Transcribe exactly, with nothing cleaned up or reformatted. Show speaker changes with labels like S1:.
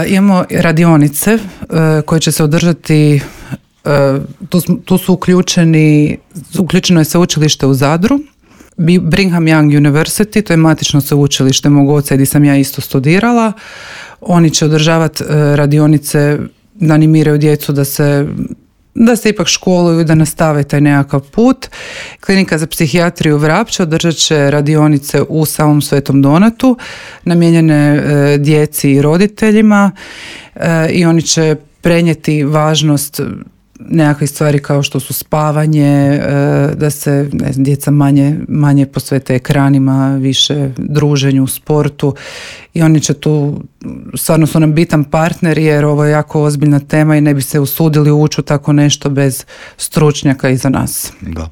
S1: imamo radionice uh, koje će se održati, uh, tu, tu su uključeni, uključeno je sveučilište u Zadru, Brigham Young University, to je matično sveučilište mog oca gdje sam ja isto studirala. Oni će održavati uh, radionice da animiraju djecu da se da se ipak školuju, da nastave taj nekakav put. Klinika za psihijatriju Vrapče održat će radionice u samom Svetom Donatu, namijenjene e, djeci i roditeljima e, i oni će prenijeti važnost nekakvih stvari kao što su spavanje, e, da se ne znam, djeca manje, manje posvete ekranima, više druženju, sportu i oni će tu, stvarno su nam bitan partner jer ovo je jako ozbiljna tema i ne bi se usudili ući u tako nešto bez stručnjaka iza nas.
S2: Da.